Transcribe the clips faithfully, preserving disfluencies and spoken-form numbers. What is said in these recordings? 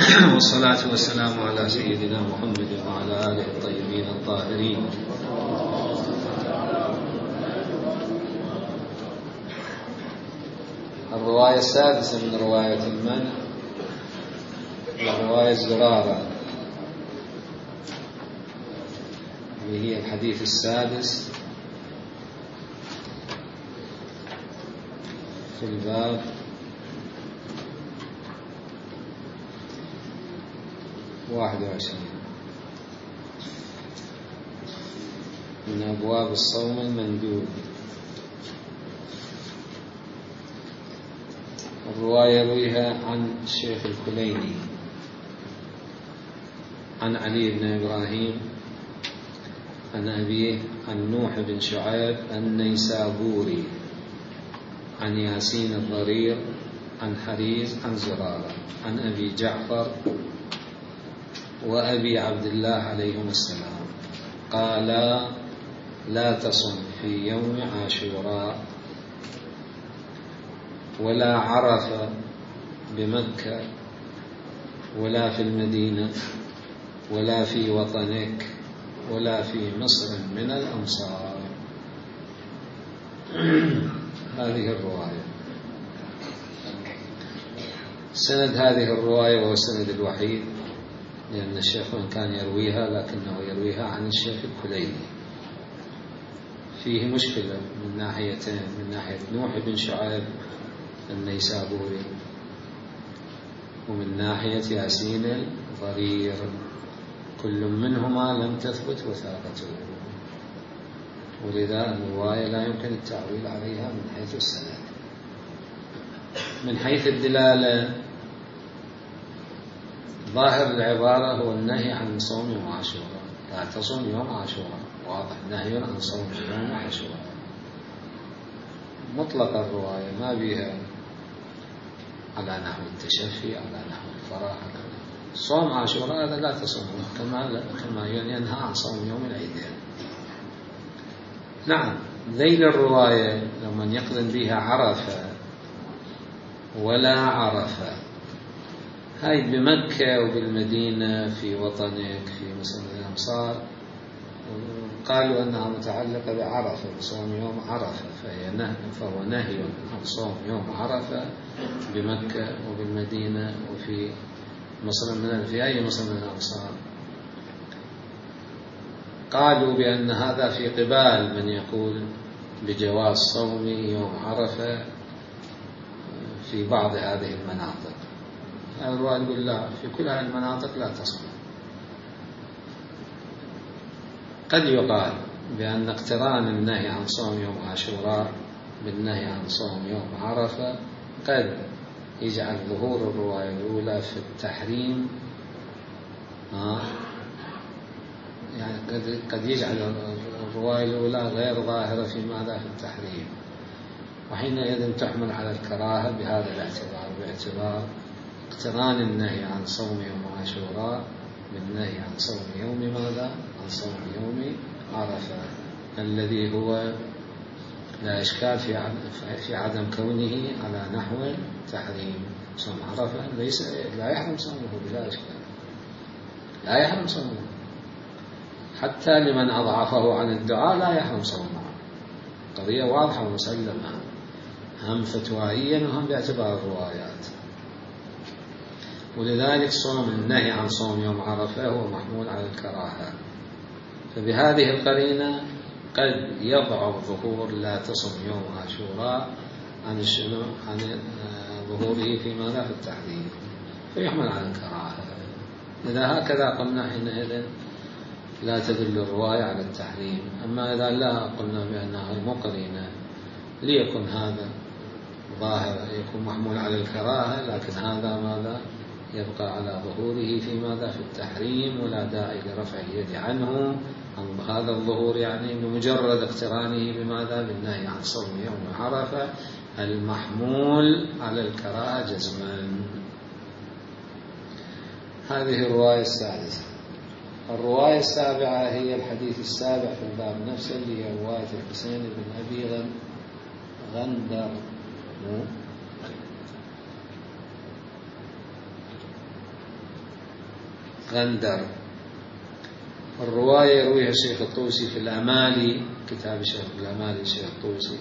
والصلاة والسلام على سيدنا محمد وعلى آله الطيبين الطاهرين. الرواية السادسة من رواية المنع رواية زرارة، وهي الحديث السادس في الباب واحد وعشرين من أبواب الصوم المندوب. الرواية يرويها عن الشيخ الكليني عن علي بن إبراهيم عن أبيه عن نوح بن شعيب النيسابوري عن ياسين الضرير عن حريز عن زرارة عن أبي جعفر وأبي عبد الله عليهم السلام قال: لا تصم في يوم عاشوراء ولا عرفة بمكة ولا في المدينة ولا في وطنك ولا في مصر من الأمصار. هذه الرواية. سند هذه الرواية وهو السند الوحيد، لأن الشيخ وإن كان يرويها لكنه يرويها عن الشيخ الكليني. فيه مشكلة من ناحيتين: من ناحية نوح بن شعيب النيسابوري، ومن ناحية ياسين الضرير، كل منهما لم تثبت وثاقته، ولذا الرواية لا يمكن التعويل عليها من حيث السند. من حيث الدلالة، ظاهر العبارة هو النهي عن صوم يوم عاشوراء. لا تصوم يوم عاشوراء، واضح نهي عن صوم يوم عاشوراء. مطلق الرواية ما بها على نحو التشفي، على نحو الفرح. صوم عاشوراء هذا لا تصوم كما كما ينهى عن صوم يوم العيدين. نعم، ذيل الرواية لما يقرن بها عرفة ولا عرفة، هاي بمكة وبالمدينة في وطنك في مصر الأمصار، قالوا أنها متعلقة بعرفة، بصوم يوم عرفة، فهي نهي، فهو نهي عن صوم يوم عرفة بمكة وبالمدينة وفي مصر من في أي مصر من الأمصار. قالوا بأن هذا في قبال من يقول بجواز صوم يوم عرفة في بعض هذه المناطق. الرواية يقول لا، في كل هذه المناطق لا تصوم. قد يقال بأن اقتران النهي عن صوم يوم عاشوراء بالنهي عن صوم يوم عرفة قد يجعل ظهور الرواية الأولى في التحريم، آه يعني قد قد يجعل الرواية الأولى غير ظاهرة في ماذا في التحريم، وحينئذ تحمل على الكراهة بهذا الاعتبار، باعتبار اقتران النهي عن صوم يوم عاشوراء بالنهي عن صوم يوم ماذا؟ عن صوم يوم عرفة، الذي هو لا إشكال في في عدم كونه على نحو تحريم. صوم عرفة ليس لا يحرم صومه بلا إشكال، لا يحرم صومه، حتى لمن أضعفه عن الدعاء لا يحرم صومه. قضية واضحة ومسلمة، هم فتوائيا وهم باعتبار الروايات. ولذلك صوم النهي عن صوم يوم عرفة هو محمول على الكراهة. فبهذه القرينة قد يضعف ظهور لا تصم يوم عاشوراء عن الشنو عن ظهوره في ماذا في التحريم، فيحمل على الكراهة. إذا هكذا قلنا حينئذ لا تدل الرواية على التحريم. أما إذا لا قلنا بأنها مقرنة ليكن هذا ظاهر، يكون محمول على الكراهة، لكن هذا ماذا يبقى على ظهوره في ماذا في التحريم، ولا داعي لرفع اليد عنه عن هذا الظهور، يعني بمجرد اقترانه بماذا بالنهي عن صوم يوم عرفة المحمول على الكراهة جزما. هذه الرواية السادسة. الرواية السابعة هي الحديث السابع في الباب نفسه، اللي هي رواية الحسين بن أبي غندر غندر. الرواية يرويها الشيخ الطوسي في الأمالي، كتاب الشيخ الأمالي الشيخ الطوسي،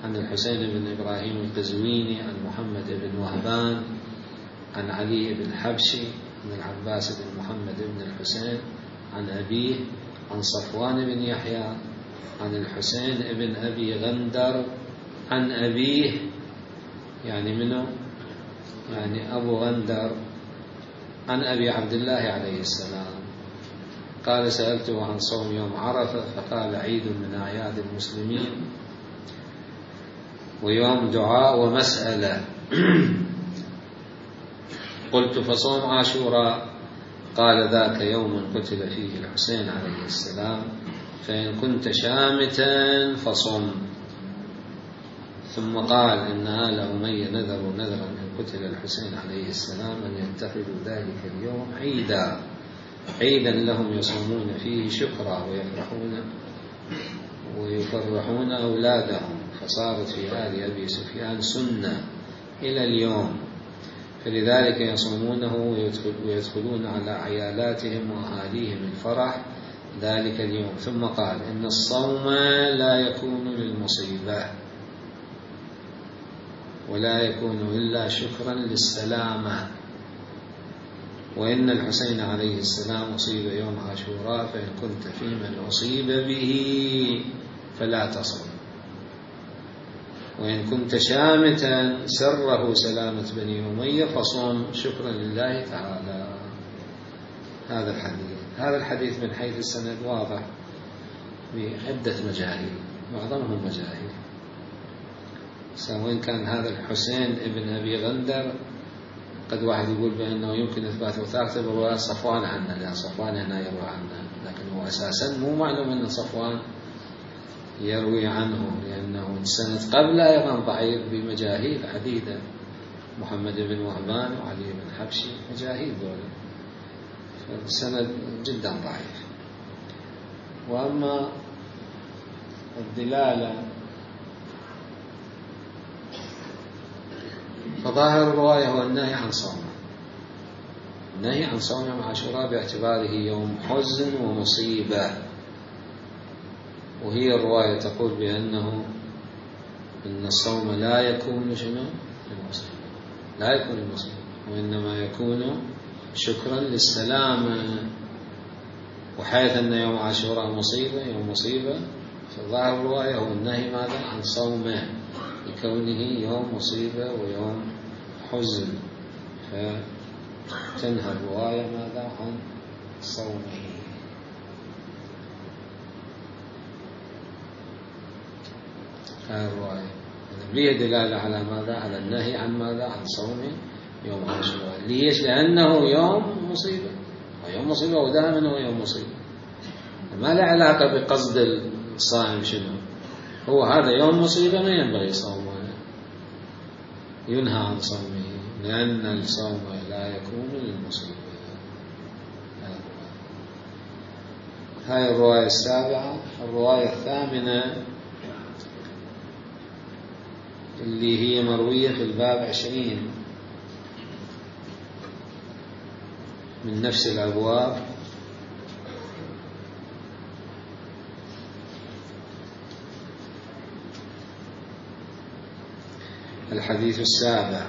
عن الحسين بن إبراهيم القزويني عن محمد بن وهبان عن علي بن حبشي عن العباس بن محمد بن الحسين عن أبيه عن صفوان بن يحيى عن الحسين بن أبي غندر عن أبيه، يعني منه يعني أبو غندر، عن أبي عبد الله عليه السلام قال: سألته عن صوم يوم عرفة فقال: عيد من أعياد المسلمين ويوم دعاء ومسألة. قلت: فصوم عاشوراء؟ قال: ذاك يوم قتل فيه الحسين عليه السلام، فإن كنت شامتا فصم. ثم قال: إن آل أمية نذروا نذرا إن قتل الحسين عليه السلام أن يتخذوا ذلك اليوم عيدا عيدا لهم يصومون فيه شكرا ويفرحون ويفرحون أولادهم، فصارت في آل أبي سفيان سنة إلى اليوم، فلذلك يصومونه ويدخلون على عيالاتهم وأهاليهم الفرح ذلك اليوم. ثم قال: إن الصوم لا يكون للمصيبة ولا يكون إلا شكرا للسلامة، وإن الحسين عليه السلام أصيب يوم عاشوراء، فإن كنت في من أصيب به فلا تصم، وإن كنت شامتا سره سلامة بني أمية فصوم شكرا لله تعالى. هذا الحديث هذا الحديث من حيث السند واضح بعدة مجاهيل، معظمهم مجاهيل، سواء كان هذا الحسين ابن أبي غندر قد واحد يقول بأنه يمكن إثبات وثاقته برواية صفوان عنه، لأن صفوان هنا يروي عنه، لكن هو أساسا مو معلوم أن صفوان يروي عنه، لأنه السند قبل أيضا ضعيف بمجاهيل عديدة، محمد بن وهبان وعلي بن حبشي مجاهيل دولة، فالسند جدا ضعيف. وأما الدلالة فظاهر الرواية هو النهي عن صومه، النهي عن صوم يوم عاشوراء باعتباره يوم حزن ومصيبة، وهي الرواية تقول بأنه إن الصوم لا يكون شنو للمصيبة، لا يكون للمصيبة، وإنما يكون شكرا للسلامة، وحيث أن يوم عاشوراء مصيبة يوم مصيبة، فظاهر الرواية هو النهي ماذا عن صومه لكونه يوم مصيبة ويوم حزن، فتنهى الرواية ماذا عن صومه. هذه الرواية فيه دلالة على ماذا؟ على النهي عن ماذا؟ عن صوم يوم عاشوراء. ليش؟ لأنه يوم مصيبة، ويوم مصيبة ودائما هو يوم مصيبة، ما له علاقة بقصد الصائم شنو، هو هذا يوم مصيبة ما ينبغي صومه، ينهى عن صومه، لأن الصوم لا يكون للمصيبة. هاي الرواية السابعة. الرواية الثامنة اللي هي مروية في الباب عشرين من نفس الأبواب، الحديث السابع.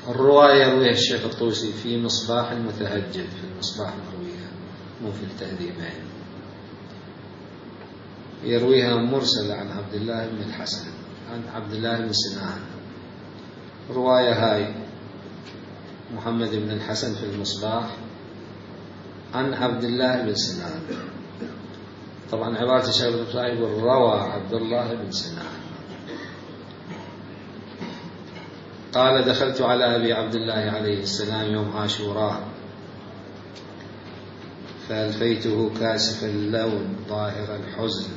الرواية يرويها الشيخ الطوسي في مصباح المتهجد، في المصباح مرويها مو في التهذيبين، يرويها مرسلة عن عبد الله بن الحسن عن عبد الله بن سنان. الرواية هاي محمد بن الحسن في المصباح عن عبد الله بن سنان، طبعا عبارة الشيخ الطوسي يقول روى عبد الله بن سنان قال: دخلت على أبي عبد الله عليه السلام يوم عاشوراء فألفيته كاسف اللون ظاهر الحزن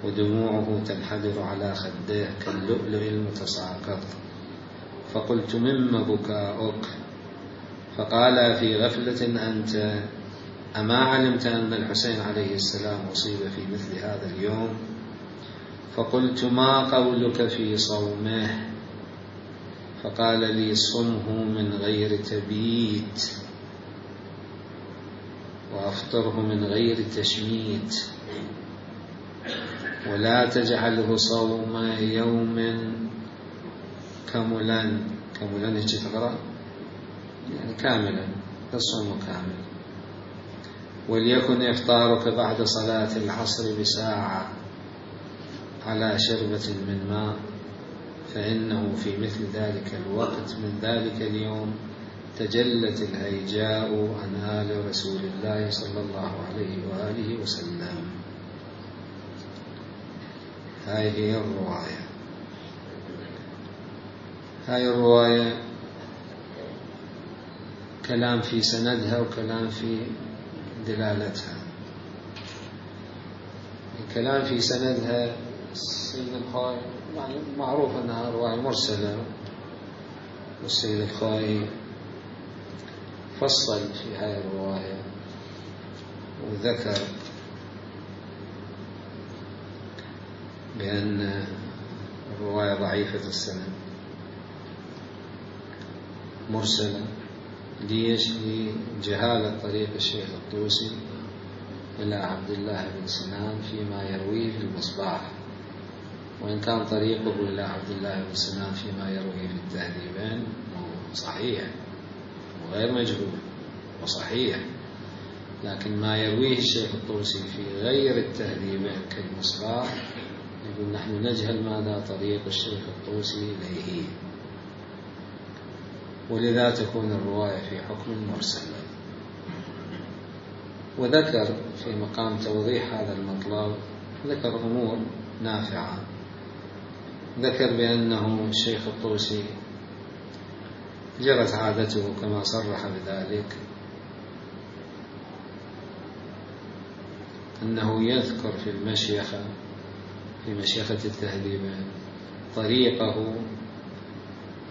ودموعه تنحدر على خديه كاللؤلؤ المتساقط، فقلت: مما بكاؤك؟ فقال: في غفلة أنت، أما علمت أن الحسين عليه السلام أصيب في مثل هذا اليوم؟ فقلت: ما قولك في صومه؟ فقال لي: صمه من غير تبيت، وأفطره من غير تشميت، ولا تجعله صوم يوم كملا. كملا هيك تقرأ يعني كاملا، الصوم كامل. وليكن إفطارك بعد صلاة العصر بساعة على شربة من ماء، فإنه في مثل ذلك الوقت من ذلك اليوم تجلت الهيجاء عن آل رسول الله صلى الله عليه وآله وسلم. هاي هي الرواية. هاي الرواية كلام في سندها وكلام في دلالتها. الكلام في سندها السيد الخوئي يعني معروف أنها رواية مرسلة، والسيد الخوئي فصل في هذه الرواية وذكر بأن الرواية ضعيفة السند مرسلة. ليش؟ لجهالة طريق الشيخ الطوسي إلى عبد الله بن سنان فيما يرويه في المصباح، وإن كان طريقه إلى عبد الله بن سنان فيما يرويه في التهذيبين صحيح وغير مجهول وصحيح، لكن ما يرويه الشيخ الطوسي في غير التهذيبين كالمصباح يقول نحن نجهل ماذا طريق الشيخ الطوسي إليه، ولذا تكون الرواية في حكم مرسل. وذكر في مقام توضيح هذا المطلب ذكر أمور نافعة. ذكر بأنه الشيخ الطوسي جرت عادته كما صرح بذلك أنه يذكر في المشيخة في مشيخة التهذيبين طريقه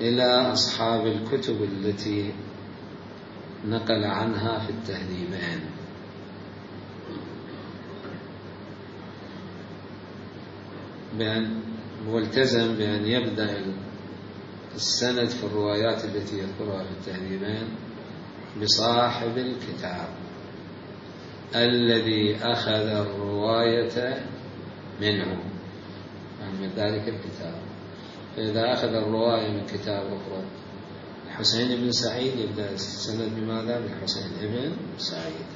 إلى أصحاب الكتب التي نقل عنها في التهذيبين، بأن والتزم بأن يبدأ السند في الروايات التي يذكرها في التهذيبين بصاحب الكتاب الذي أخذ الرواية منه، يعني من ذلك الكتاب. فإذا أخذ الرواية من كتاب أخرى الحسين بن سعيد يبدأ السند بماذا؟ بالحسين بن سعيد،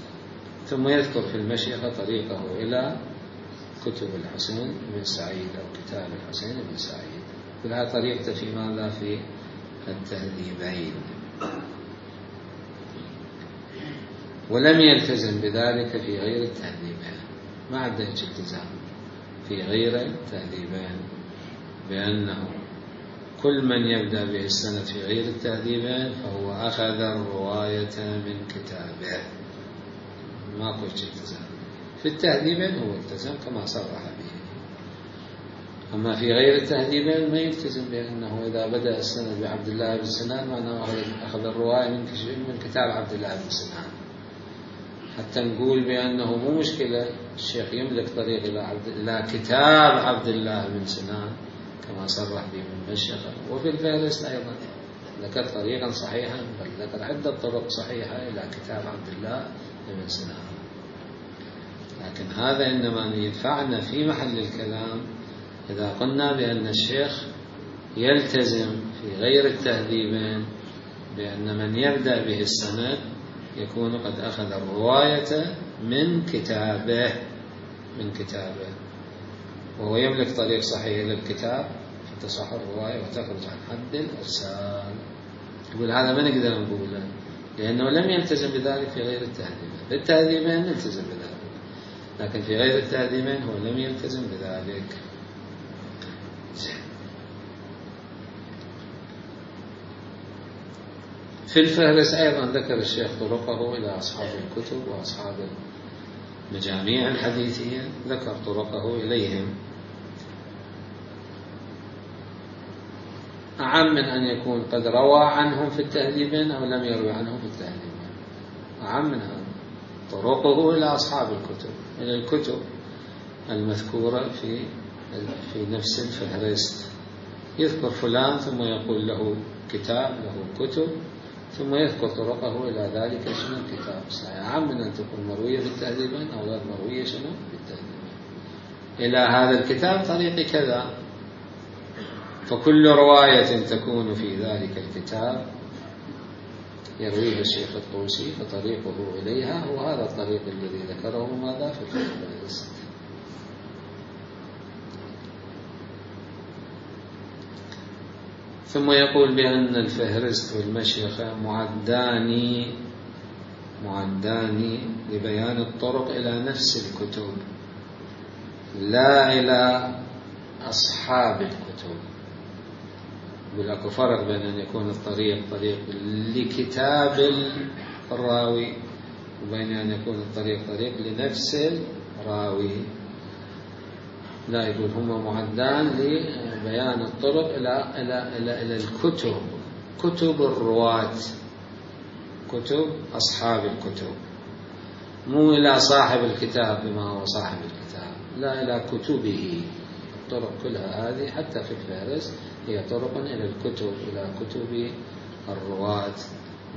ثم يذكر في المشيخة طريقه إلى كتب الحسين بن سعيد أو كتاب الحسين بن سعيد. كلها طريقته في ماذا؟ في التهذيبين. ولم يلتزم بذلك في غير التهذيبين، ما عنده التزام في غير التهذيبين بأنه كل من يبدأ به السند في غير التهذيبين فهو أخذ الرواية من كتابه، ما قلت التزام. في التهذيبين هو التزم كما صرح به، أما في غير التهذيبين ما يلتزم بأنه إذا بدأ السند بعبد الله بن سنان معناه أخذ الرواية من كتاب عبد الله بن سنان، حتى نقول بأنه مو مشكلة الشيخ يملك طريق إلى, عبد إلى كتاب عبد الله بن سنان كما صرح به من مشيخة. وفي الفهرست أيضا ذكر طريقا صحيحا، بل ذكر عدة طرق صحيحة إلى كتاب عبد الله بن سنان. لكن هذا إنما يدفعنا في محل الكلام إذا قلنا بأن الشيخ يلتزم في غير التهذيبين بأن من يبدأ به السند يكون قد أخذ الرواية من كتابه من كتابه وهو يملك طريق صحيح للكتاب فتصح الرواية وتخرج عن حد الإرسال. يقول هذا ما نقدر نقوله لأنه لم يلتزم بذلك في غير التهذيبين. في التهذيبين نلتزم بذلك، لكن في غير التهذيبين هو لم يلتزم بذلك. في الفهرس أيضا ذكر الشيخ طرقه إلى أصحاب الكتب وأصحاب المجاميع الحديثية، ذكر طرقه إليهم أعم من أن يكون قد روى عنهم في التهذيبين أو لم يروي عنهم في التهذيبين، أعم من هذا طرقه إلى أصحاب الكتب، إلى الكتب المذكورة في في نفس الفهرست. يذكر فلان ثم يقول له كتاب له كتب ثم يذكر طرقه إلى ذلك شنو الكتاب صحيح، أعم من أن تكون مروية بالتهذيبين أو غير مروية شنو بالتهذيبين. إلى هذا الكتاب طريق كذا، فكل رواية تكون في ذلك الكتاب يرويها الشيخ الطوسي فطريقه إليها هو هذا الطريق الذي ذكره ماذا في الفهرست. ثم يقول بأن الفهرست والمشيخة معدان معدان لبيان الطرق إلى نفس الكتب لا إلى أصحاب الكتب. يقول أكو فرق بين أن يكون الطريق طريق لكتاب الراوي وبين أن يكون الطريق طريق لنفس الراوي. لا، يقول هما معدان لبيان الطرق إلى إلى إلى إلى الكتب، كتب الرواة، كتب أصحاب الكتب، مو إلى صاحب الكتاب بما هو صاحب الكتاب، لا، إلى كتبه. الطرق كلها هذه حتى في الفهرست هي طرق إلى الكتب، إلى كتب الرواة،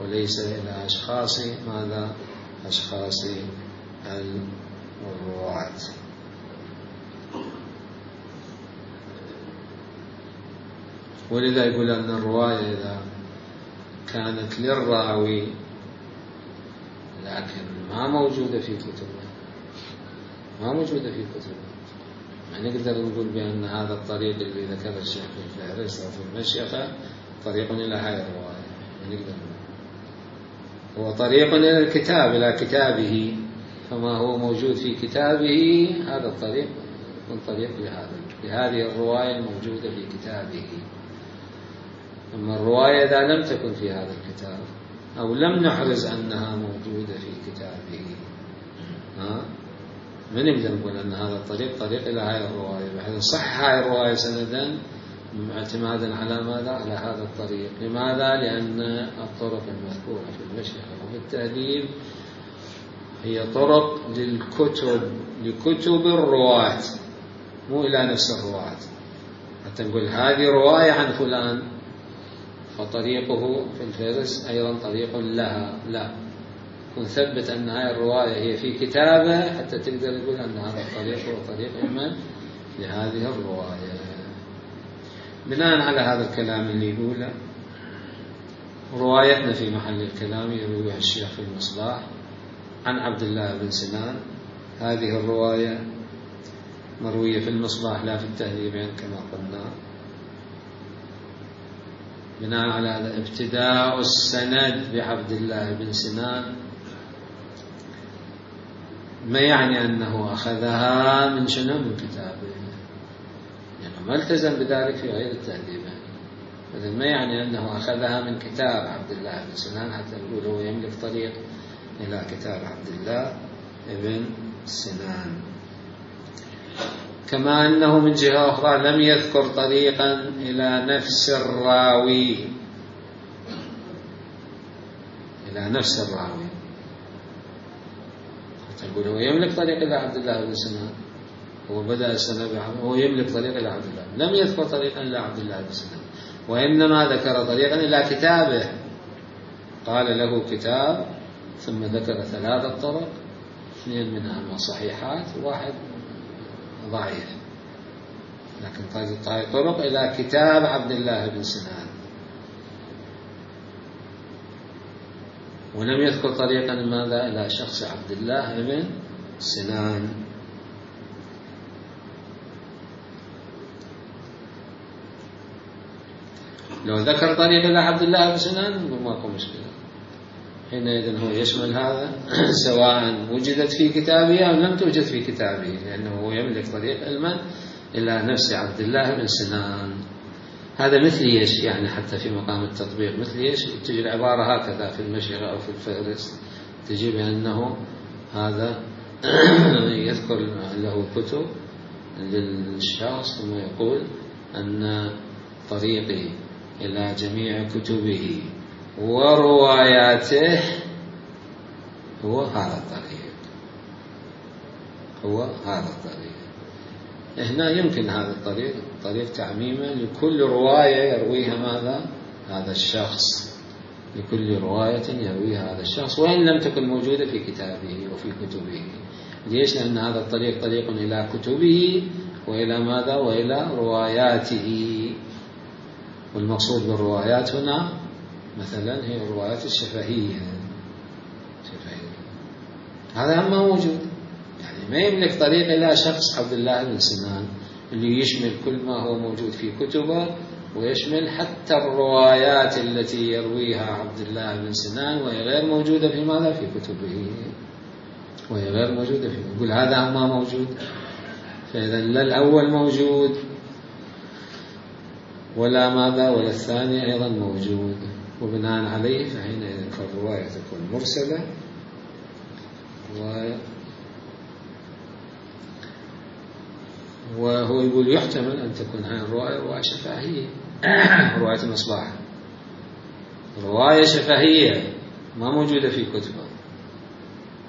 وليس إلى أشخاص ماذا؟ أشخاص الرواة. ولذا يقول أن الرواية إذا كانت للراوي لكن ما موجودة في كتبه، ما موجودة في كتبه، يعني نقدر نقول بأن هذا الطريق اللي ذكر الشيخ في الفهرست أو في المشيخة طريق إلى هذه الرواية، نقدر نقول هو طريق إلى الكتاب، إلى كتابه، فما هو موجود في كتابه هذا الطريق من طريق لهذا لهذه الرواية الموجودة في كتابه. أما الرواية إذا لم تكن في هذا الكتاب أو لم نحرز أنها موجودة في كتابه، ها من نقدر نقول أن هذا الطريق طريق إلى هذه الرواية، بحيث صح هذه الرواية سندا اعتمادا على ماذا؟ على هذا الطريق. لماذا؟ لأن الطرق المذكورة في المشيخة وفي التهذيب هي طرق للكتب، لكتب الرواة، مو إلى نفس الرواة. حتى نقول هذه رواية عن فلان فطريقه في الفهرست أيضا طريق لها، لا، ونثبت أن هذه الرواية هي في كتابه حتى تقدر تقول أن هذا الطريق هو طريق إما لهذه الرواية. بناء على هذا الكلام اللي يقوله روايتنا في محل الكلام يرويها الشيخ في المصباح عن عبد الله بن سنان. هذه الرواية مروية في المصباح لا في التهذيبين كما قلنا. بناء على هذا ابتداء السند بعبد الله بن سنان ما يعني أنه أخذها من شنو؟ من كتابه، يعني ما التزم بذلك في غير التهذيبين. إذا ما يعني أنه أخذها من كتاب عبد الله بن سنان حتى نقول هو يملك طريق إلى كتاب عبد الله بن سنان. كما أنه من جهة أخرى لم يذكر طريقا إلى نفس الراوي، إلى نفس الراوي، تقول هو يملك طريق إلى عبد الله بن سنان، هو بدأ السنة هو يملك طريق إلى عبد الله، لم يذكر طريقا إلى عبد الله بن سنان، وإنما ذكر طريقا إلى كتابه، قال له كتاب، ثم ذكر ثلاثة طرق، اثنين منها صحيحات وواحد ضعيف، لكن طرق إلى كتاب عبد الله بن سنان، ولم يذكر طريقا ماذا؟ إلى شخص عبد الله بن سنان. لو ذكر طريق إلى عبد الله بن سنان نقول ماكو مشكلة، حينئذ هو يشمل هذا سواء وجدت في كتابه أو لم توجد في كتابه، لأنه هو يملك طريق علما إلى نفس عبد الله بن سنان. هذا مثل ايش؟ يعني حتى في مقام التطبيق مثل ايش؟ تجي العبارة هكذا في المشيخة أو في الفهرست، تجي بأنه هذا يذكر له كتب للشخص ثم يقول أن طريقي إلى جميع كتبه ورواياته هو هذا الطريق، هو هذا الطريق. هنا يمكن هذا الطريق طريق تعميمه لكل رواية يرويها ماذا؟ هذا الشخص، لكل رواية يرويها هذا الشخص وإن لم تكن موجودة في كتابه وفي كتبه. ليش؟ لأن هذا الطريق طريق إلى كتبه وإلى ماذا؟ وإلى رواياته. والمقصود بالروايات هنا مثلا هي الروايات الشفهية. شفهية. هذا هم موجود، يعني ما يملك طريق إلى شخص عبد الله بن سنان اللي يشمل كل ما هو موجود في كتبه ويشمل حتى الروايات التي يرويها عبد الله بن سنان وهي غير موجودة في ماذا؟ في كتبه، وهي غير موجودة في يقول هذا ما موجود. فإذا لا الأول موجود ولا ماذا ولا الثاني أيضا موجود، وبناء عليه فحينئذ فالرواية تكون مرسلة و وهو يقول يحتمل أن تكون هذه الرواية رواية شفهية. رواية المصباح رواية شفهية ما موجودة في كتبه.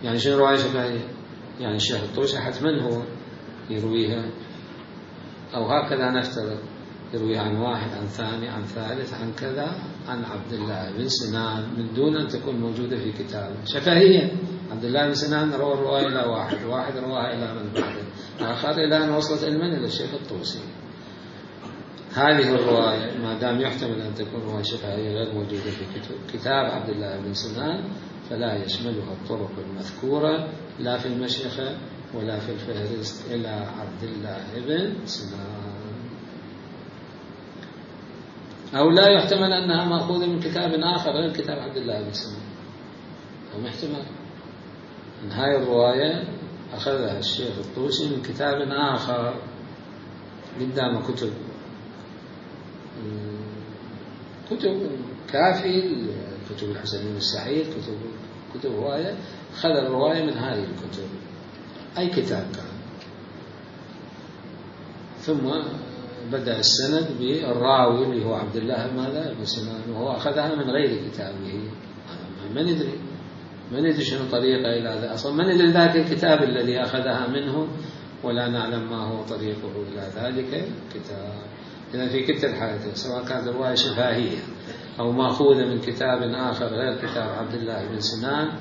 يعني شنو رواية شفهية؟ يعني الشيخ الطوسي حتما هو يرويها، أو هكذا نفترض يروي عن واحد عن ثاني عن ثالث عن كذا عن عبد الله بن سنان من دون أن تكون موجودة في كتابه. شفهية. عبد الله بن سنان روى الرواية إلى واحد، واحد رواها إلى من بعده، آخر إلى أن وصلت المن إلى الشيخ الطوسي. هذه الرواية ما دام يحتمل أن تكون رواية شفهية غير موجودة في كتب كتاب عبد الله بن سنان فلا يشملها الطرق المذكورة لا في المشيخة ولا في الفهرست إلى عبد الله بن سنان. أو لا يحتمل أنها مأخوذة من كتاب آخر غير كتاب عبد الله بن سنان، أو احتمال أن هاي الرواية أخذها الشيخ الطوسي من كتاب آخر قدام كتب كتب كافي، كتب الحسن بن السعيد، كتب كتب رواية، أخذ الرواية من هذه الكتب أي كتاب كان. ثم بدأ السند بالراوي اللي هو عبد الله ماذا بن سنان، وهو أخذها من غير كتابه. ما ندري ما ندري شنو طريقه إلى هذا، أصلا ما ندري ذاك الكتاب الذي أخذها منه ولا نعلم ما هو طريقه إلى ذلك الكتاب. إذا في كلتا الحالتين سواء كانت رواية شفاهية أو مأخوذة من كتاب آخر غير كتاب عبد الله بن سنان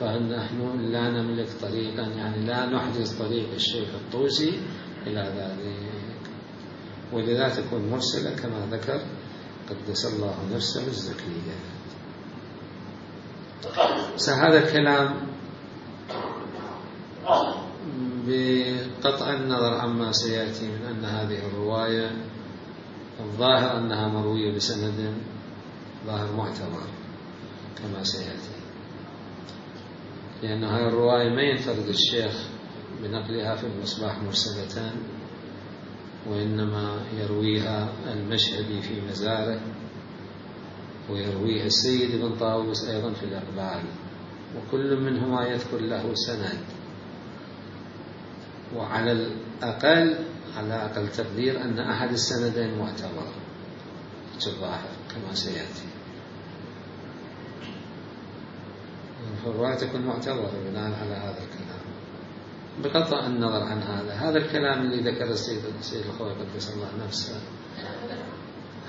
فنحن لا نملك طريقا، يعني لا نحدث طريق الشيخ الطوسي إلى ذلك، ولذا تكون مرسلة كما ذكر قدس الله نفسه الزكية. هذا الكلام بقطع النظر عما سيأتي من أن هذه الرواية الظاهر أنها مروية بسند ظاهر معتبر كما سيأتي، لأن هذه الرواية ما ينفرد الشيخ بنقلها في المصباح مرسلة، وإنما يرويها المشهدي في مزاره، ويرويها السيد بن طاووس أيضا في الإقبال، وكل منهما يذكر له سند، وعلى الأقل على أقل تقدير أن أحد السندين معتبر في الظاهر كما سيأتي. فالرواية تكون معتبرة بناء على هذا الكلام بقطع النظر عن هذا. هذا الكلام اللي ذكر السيد السيد الخوي قدس الله نفسه،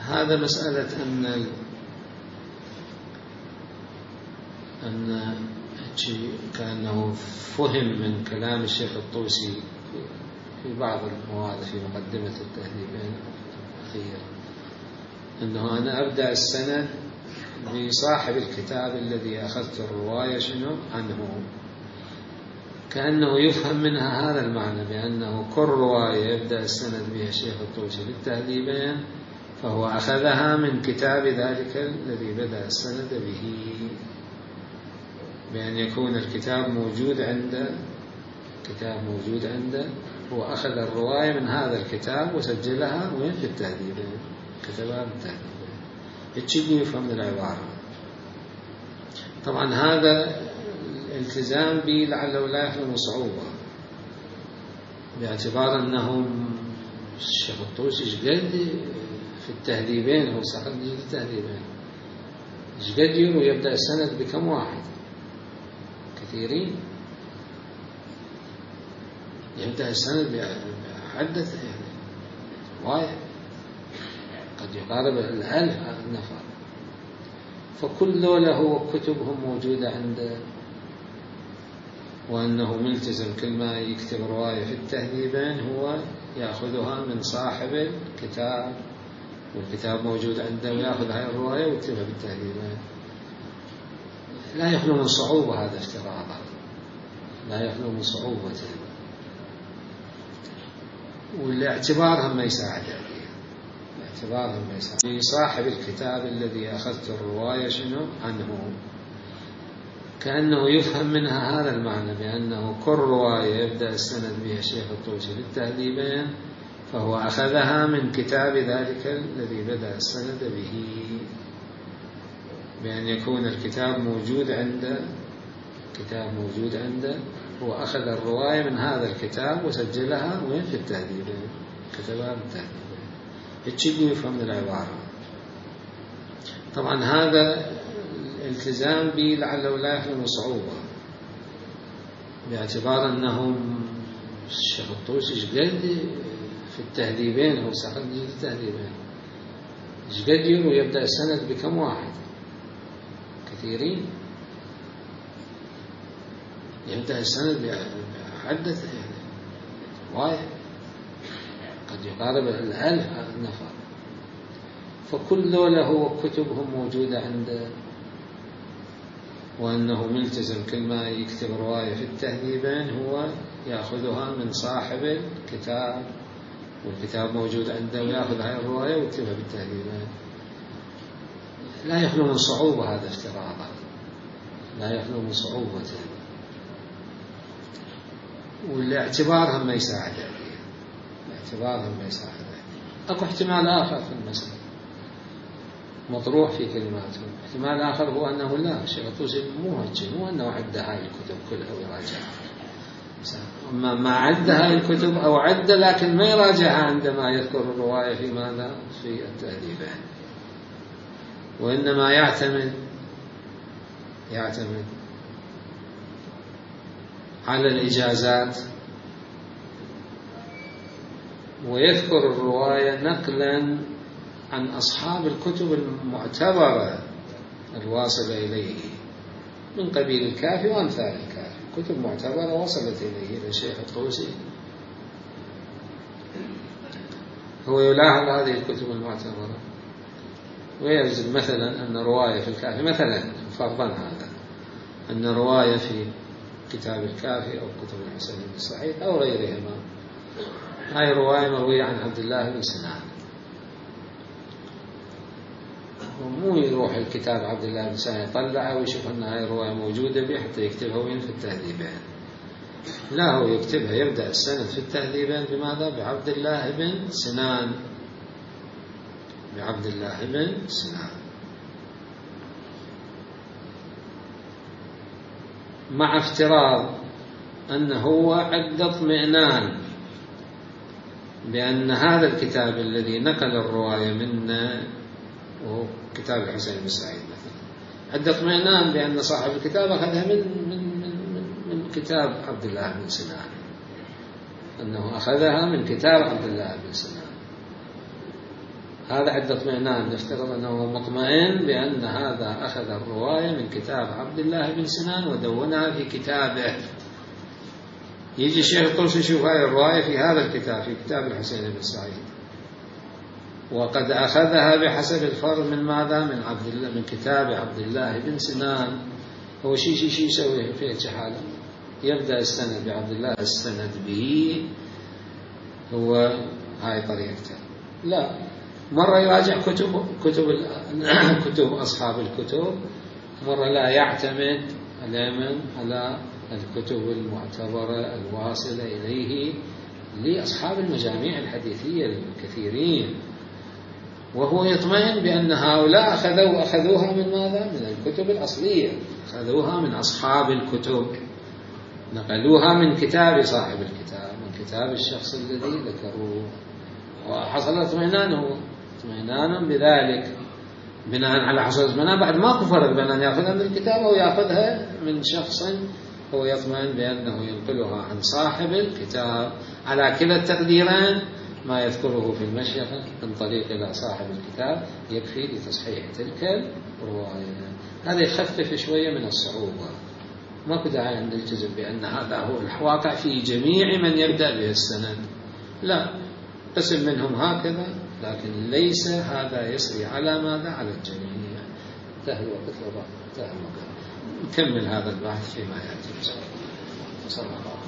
هذا مسألة أن أن كأنه فهم من كلام الشيخ الطوسي في بعض المواضع في مقدمة التهذيبين الأخيرة أنه أنا أبدأ السند بصاحب الكتاب الذي أخذت الرواية شنو عنه، كأنه يفهم منها هذا المعنى بأنه كل رواية يبدأ السند بها الشيخ الطوسي للتهذيبين فهو أخذها من كتاب ذلك الذي بدأ السند به، بأن يكون الكتاب موجود عنده كتاب موجود عنده هو أخذ الرواية من هذا الكتاب وسجلها وين في التهذيبين كتبها بالتهذيبين. يتشبه يفهم من العبارة. طبعا هذا الالتزام به لعله لا يحمل صعوبة باعتبار أنهم الشيخ الطوسي جد في التهذيبين هو ساقط جد التهذيبين جد يروي يبدأ السند بكم واحد كثيرين، يبدأ السند بعدة يعني وايد قد يقارب الألف نفر، فكل ذولا هو كتبهم موجودة عنده، وأنه ملتزم كل ما يكتب رواية في التهذيبين هو يأخذها من صاحب الكتاب، والكتاب موجود عنده ويأخذ هاي الرواية ويكتبها بالتهذيبين. لا يخلو من صعوبة هذا افتراضا، لا يخلو من صعوبته، والاعتبار هم ما يساعد عليه، الاعتبار هم ما يساعد. صاحب الكتاب الذي أخذت الرواية شنو عنه، كأنه يفهم منها هذا المعنى بأنه كل رواية يبدأ السند بها الشيخ الطوسي في التهذيبين فهو أخذها من كتاب ذلك الذي بدأ السند به، بأن يكون الكتاب موجود عنده، كتاب موجود عنده، هو أخذ الرواية من هذا الكتاب وسجلها وين في التهذيبين، كتبها بالتهذيبين. هيك يفهم من العبارة. طبعا هذا الالتزام به لعله لا يخلو من صعوبة، باعتبار أنهم الشيخ الطوسي شقد في التهذيبين، هو ساقط جزء التهذيبين، شقد يروي يبدأ السند بكم واحد، كثيرين، يبدأ السند بعدة يعني واحد، قد يقارب الألف نفر. فكل ذولا هو كتبهم موجودة عنده، وأنه ملتزم كل ما يكتب رواية في التهذيبين هو يأخذها من صاحب الكتاب، والكتاب موجود عنده ويأخذ هاي الرواية ويكتبها بالتهذيبين. لا يخلو من صعوبة هذا افتراضا، لا يخلو من صعوبته، والاعتبار هم ما يساعد عليه، الاعتبار هم ما يساعد عليه. أكو احتمال آخر في المسألة مطروح في كلماته، احتمال آخر هو أنه لا، الشيخ الطوسي مو هيك، مو أنه عد هاي الكتب كلها ويراجعها، أما ما عد هاي الكتب أو عد لكن ما يراجعها عندما يذكر الرواية في ماذا؟ في التهذيبين، وإنما يعتمد يعتمد على الإجازات، ويذكر الرواية نقلا عن أصحاب الكتب المعتبرة الواصلة إليه من قبيل الكافي وأمثال الكافي، كتب معتبرة وصلت إليه إلى الشيخ الطوسي، هو يلاحظ هذه الكتب المعتبرة ويجد مثلا أن رواية في الكافي، مثلا فرضا هذا أن رواية في كتاب الكافي أو كتب الحسين بن سعيد أو غيرهما، هاي رواية مروية عن عبد الله بن سنان، ومو يروح الكتاب عبد الله بن سنان يطلعه ويشوف أن هاي الرواية موجودة به حتى يكتبها وين في التهذيبين، لا، هو يكتبها يبدأ السند في التهذيبين بماذا؟ بعبد الله بن سنان، بعبد الله بن سنان، مع افتراض أنه هو عند اطمئنان بأن هذا الكتاب الذي نقل الرواية منا وهو كتاب الحسين بن سعيد مثلا، عند اطمئنان بأن صاحب الكتاب أخذها من من من من, من كتاب عبد الله بن سنان، أنه أخذها من كتاب عبد الله بن سنان، هذا عند اطمئنان، نفترض أنه مطمئن بأن هذا أخذ الرواية من كتاب عبد الله بن سنان ودونها في كتابه. يجي الشيخ الطوسي يشوف هذه الرواية في هذا الكتاب، في كتاب الحسين بن سعيد، وقد أخذها بحسب الفرض من ماذا؟ من عبد الله، من كتاب عبد الله بن سنان. هو شيء شيء شيء يسوي في حاله، يبدأ السند بعبد الله، السند به هو هاي طريقته. لا، مرة يراجع كتب كتب كتب أصحاب الكتب، مرة لا، يعتمد دائما على الكتب المعتبرة الواصلة إليه لأصحاب المجاميع الحديثية الكثيرين، وهو يطمئن بأن هؤلاء أخذوا أخذوها من ماذا؟ من الكتب الأصلية، أخذوها من أصحاب الكتب، نقلوها من كتاب صاحب الكتاب، من كتاب الشخص الذي ذكروه، وحصل اطمئنانه اطمئنانا بذلك، بناء على حصل اطمئنان بعد ما كفر بأن يأخذها من الكتاب أو يأخذها من شخص هو يطمئن بأنه ينقلها عن صاحب الكتاب. على كلا التقديرين ما يذكره في المشيخة من طريق إلى صاحب الكتاب يكفي لتصحيح تلك الرواية. هذا يخفف شوية من الصعوبة. ما داعي أن نلتزم بأن هذا هو الواقع في جميع من يبدأ به السند، لا، قسم منهم هكذا، لكن ليس هذا يسري على ماذا؟ على الجميع. انتهى الوقت، انتهى الوقت. نكمل هذا البحث فيما يأتي. صلى الله عليه وسلم.